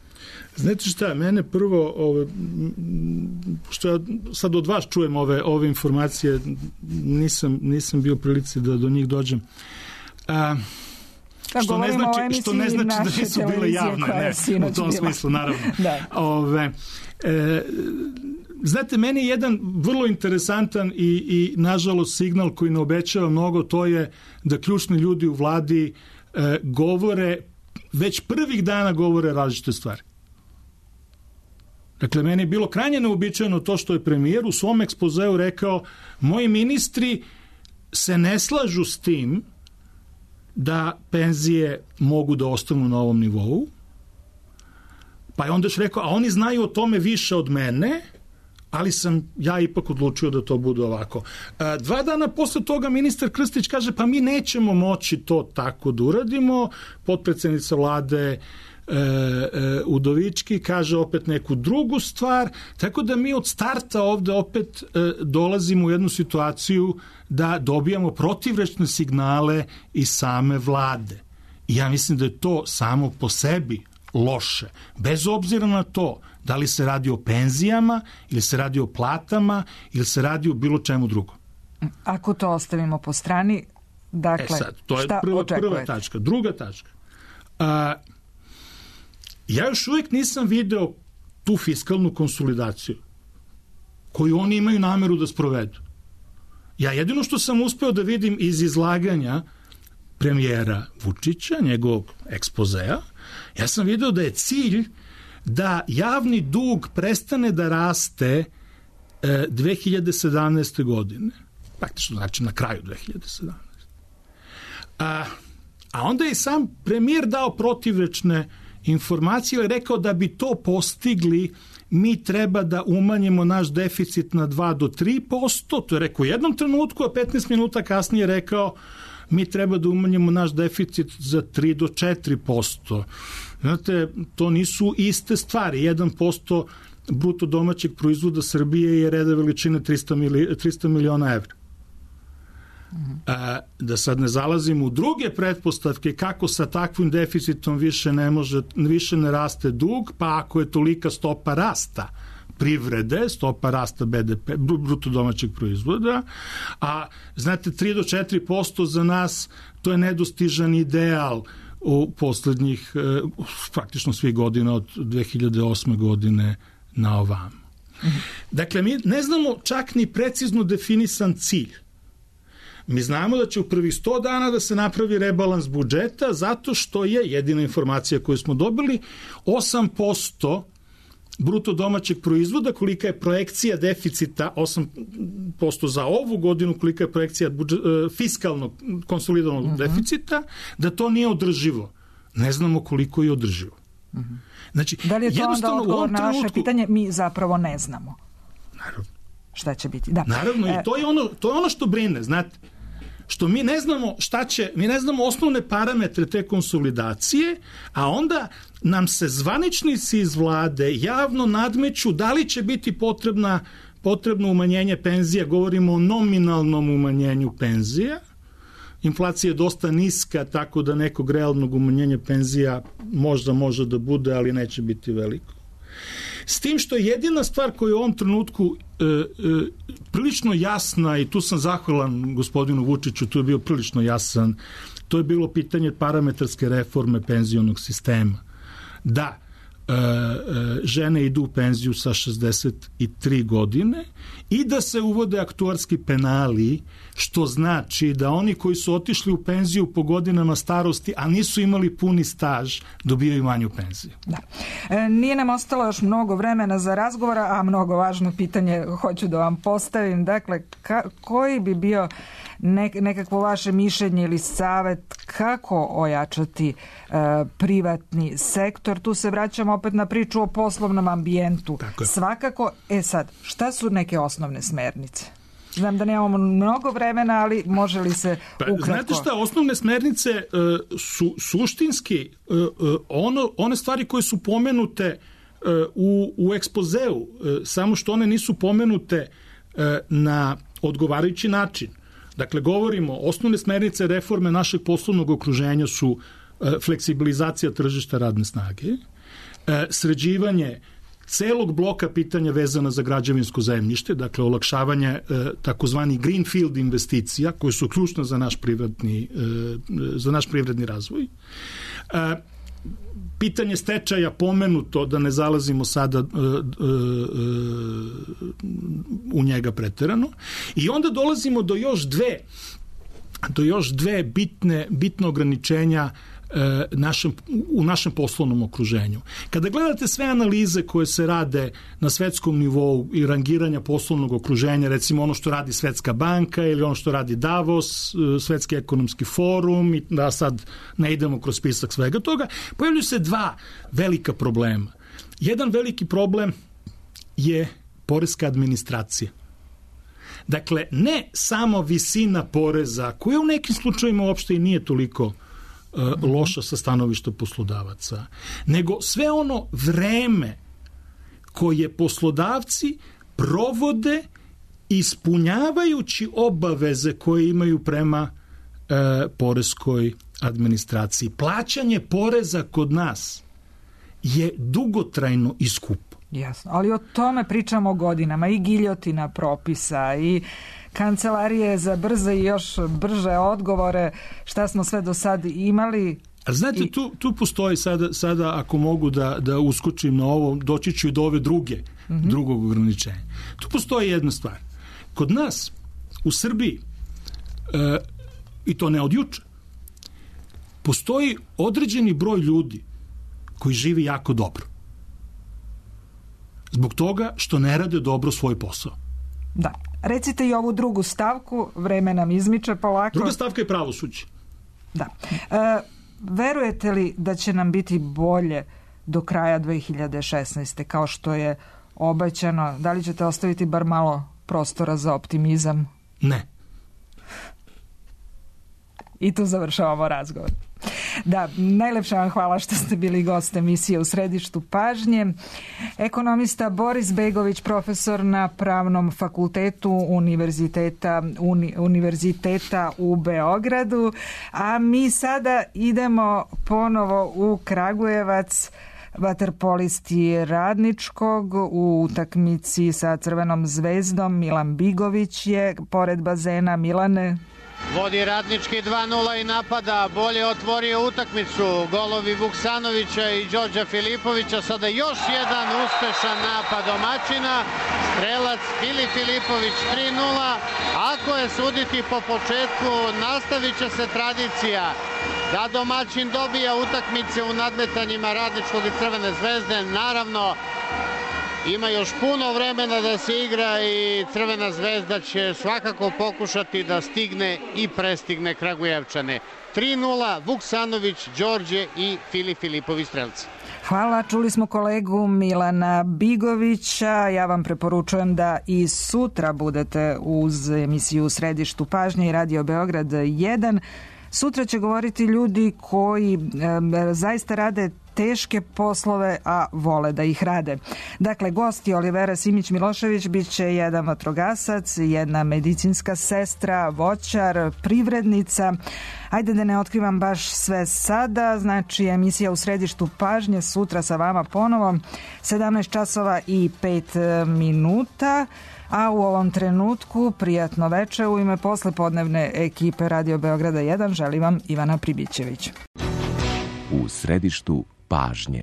Znate šta, mene prvo, ove, što ja sad od vas čujem ove, ove informacije, nisam, nisam bio u prilici da do njih dođem. A, da, što, ne znači, što ne znači da nisu bile javne, ne, u tom bila. Smislu, naravno. Da. Ove, e, znate, meni je jedan vrlo interesantan i, i nažalost signal koji ne obećava mnogo, to je da ključni ljudi u vladi e, govore, već prvih dana govore različite stvari. Dakle, meni je bilo krajnje neobičajeno to što je premijer u svom ekspozeu rekao, moji ministri se ne slažu s tim da penzije mogu da ostanu na ovom nivou, pa je onda još rekao, a oni znaju o tome više od mene, ali sam ja ipak odlučio da to bude ovako. Dva dana posle toga ministar Krstić kaže, pa mi nećemo moći to tako da uradimo, potpredsjednica vlade E, e, Udovički kaže opet neku drugu stvar, tako da mi od starta ovde opet e, dolazimo u jednu situaciju da dobijamo protivrečne signale iz same vlade. I ja mislim da je to samo po sebi loše, bez obzira na to da li se radi o penzijama ili se radi o platama ili se radi o bilo čemu drugom. Ako to ostavimo po strani, dakle, e sad, to je šta prva, očekujete? Prva tačka. Druga tačka. A, ja još uvijek nisam video tu fiskalnu konsolidaciju koju oni imaju nameru da sprovedu. Ja jedino što sam uspeo da vidim iz izlaganja premijera Vučića, njegovog ekspozea, ja sam video da je cilj da javni dug prestane da raste e, dve hiljade sedamnaeste. godine. Praktično znači na kraju dve hiljade sedamnaeste. A, a onda je sam premijer dao protivrečne informacije, je rekao da bi to postigli mi treba da umanjimo naš deficit na dva do tri posto, to je rekao u jednom trenutku, a petnaest minuta kasnije rekao mi treba da umanjimo naš deficit za tri do četiri posto. Znate, to nisu iste stvari. jedan posto bruto domaćeg proizvoda Srbije je reda veličine trista miliona evra. A, da sad ne zalazimo u druge pretpostavke kako sa takvim deficitom više ne može, više ne raste dug, pa ako je tolika stopa rasta privrede, stopa rasta be de pe, bruto domaćeg proizvoda, a znate tri do četiri posto za nas to je nedostižan ideal u poslednjih praktično svih godina od dve hiljade osme. godine na ovamo. Dakle, mi ne znamo čak ni precizno definisan cilj. Mi znamo da će u prvih sto dana da se napravi rebalans budžeta zato što je jedina informacija koju smo dobili osam posto bruto domaćeg proizvoda, kolika je projekcija deficita, osam posto za ovu godinu, kolika je projekcija budžet, fiskalnog konsolidovanog uh-huh. deficita, da to nije održivo. Ne znamo koliko je održivo. Uh-huh. Znači, da li je to onda odgovor na naše trenutku, pitanje? Mi zapravo ne znamo. Naravno. Šta će biti? Da. Naravno, e, i to je, ono, to je ono što brine, znate. Što mi ne znamo šta će, mi ne znamo osnovne parametre te konsolidacije, a onda nam se zvaničnici iz vlade javno nadmeću da li će biti potrebna, potrebno umanjenje penzija, govorimo o nominalnom umanjenju penzija. Inflacija je dosta niska, tako da nekog realnog umanjenja penzija možda može da bude, ali neće biti veliko. S tim što je jedina stvar koja je u ovom trenutku e, e, prilično jasna, i tu sam zahvalan gospodinu Vučiću, tu je bio prilično jasan, to je bilo pitanje parametarske reforme penzionog sistema. Da, e, e, žene idu u penziju sa šezdeset tri godine i da se uvode aktuarski penali, što znači da oni koji su otišli u penziju po godinama starosti, a nisu imali puni staž, dobijaju manju penziju. Da. E, nije nam ostalo još mnogo vremena za razgovora, a mnogo važno pitanje hoću da vam postavim. Dakle, ka, koji bi bio nek, nekakvo vaše mišljenje ili savet kako ojačati e, privatni sektor? Tu se vraćamo opet na priču o poslovnom ambijentu. Svakako, e sad, šta su neke osnovne smernice? Znam da nemamo mnogo vremena, ali može li se ukratko? Pa, znate šta, osnovne smernice uh, su suštinski uh, uh, ono, one stvari koje su pomenute uh, u, u ekspozeu, uh, samo što one nisu pomenute uh, na odgovarajući način. Dakle, govorimo, osnovne smernice reforme našeg poslovnog okruženja su uh, fleksibilizacija tržišta radne snage, uh, sređivanje celog bloka pitanja vezana za građevinsko zemljište, dakle olakšavanje e, takozvani greenfield investicija koje su ključne za naš privredni, e, za naš privredni razvoj. E, pitanje stečaja pomenuto, da ne zalazimo sada e, e, u njega preterano. I onda dolazimo do još dve do još dve bitne, bitne ograničenja Našem, u našem poslovnom okruženju. Kada gledate sve analize koje se rade na svetskom nivou i rangiranja poslovnog okruženja, recimo ono što radi Svetska banka ili ono što radi Davos, Svetski ekonomski forum, i da sad ne idemo kroz spisak svega toga, pojavljuju se dva velika problema. Jedan veliki problem je poreska administracija. Dakle, ne samo visina poreza, koja u nekim slučajima uopšte i nije toliko loša sa stanovišta poslodavaca, nego sve ono vreme koje poslodavci provode ispunjavajući obaveze koje imaju prema e, poreskoj administraciji. Plaćanje poreza kod nas je dugotrajno i skupo. Jasno, ali o tome pričamo godinama, i giljotina propisa, i kancelarije za brze i još brže odgovore, šta smo sve do sad imali. A znate, i... tu, tu postoji sada, sada ako mogu da, da uskočim na ovo, doći ću i do ove druge, mm-hmm. drugog ograničenja. Tu postoji jedna stvar. Kod nas, u Srbiji, e, i to ne od juče, postoji određeni broj ljudi koji živi jako dobro. Zbog toga što ne rade dobro svoj posao. Da. Recite i ovu drugu stavku, vreme nam izmiče polako. Druga stavka je pravosuđe. Da. E, verujete li da će nam biti bolje do kraja dve hiljade šesnaeste kao što je obećano? Da li ćete ostaviti bar malo prostora za optimizam? Ne. I tu završavamo razgovor. Da, najlepša vam hvala što ste bili gost emisije U središtu pažnje. Ekonomista Boris Begović, profesor na Pravnom fakultetu Univerziteta, uni, Univerziteta u Beogradu. A mi sada idemo ponovo u Kragujevac. Vaterpolisti Radničkog u utakmici sa Crvenom zvezdom Milan Bigović je pored bazena. Milane... Vodi Radnički dva nula i napada, bolje otvorio utakmicu, golovi Vuksanovića i Đorđa Filipovića, sada još jedan uspešan napad domaćina, strelac Fili Filipović tri nula, ako je suditi po početku, nastavit će se tradicija da domaćin dobija utakmice u nadmetanjima Radničkog i Crvene zvezde, naravno ima još puno vremena da se igra i Crvena zvezda će svakako pokušati da stigne i prestigne Kragujevčane. tri nula, Vuksanović, Đorđe i Fili Filipović strelci. Hvala, čuli smo kolegu Milana Bigovića. Ja vam preporučujem da i sutra budete uz emisiju U središtu pažnje i Radio Beograd jedan. Sutra će govoriti ljudi koji e, zaista rade teške poslove, a vole da ih rade. Dakle, gosti Olivera Simić-Milošević bit će jedan vatrogasac, jedna medicinska sestra, voćar, privrednica. Ajde da ne otkrivam baš sve sada, znači emisija U središtu pažnje sutra sa vama ponovo, sedamnaest časova i pet minuta. A u ovom trenutku prijatno veče u ime poslepodnevne ekipe Radio Beograda jedan želim vam Ivana Pribićević. U središtu pažnje.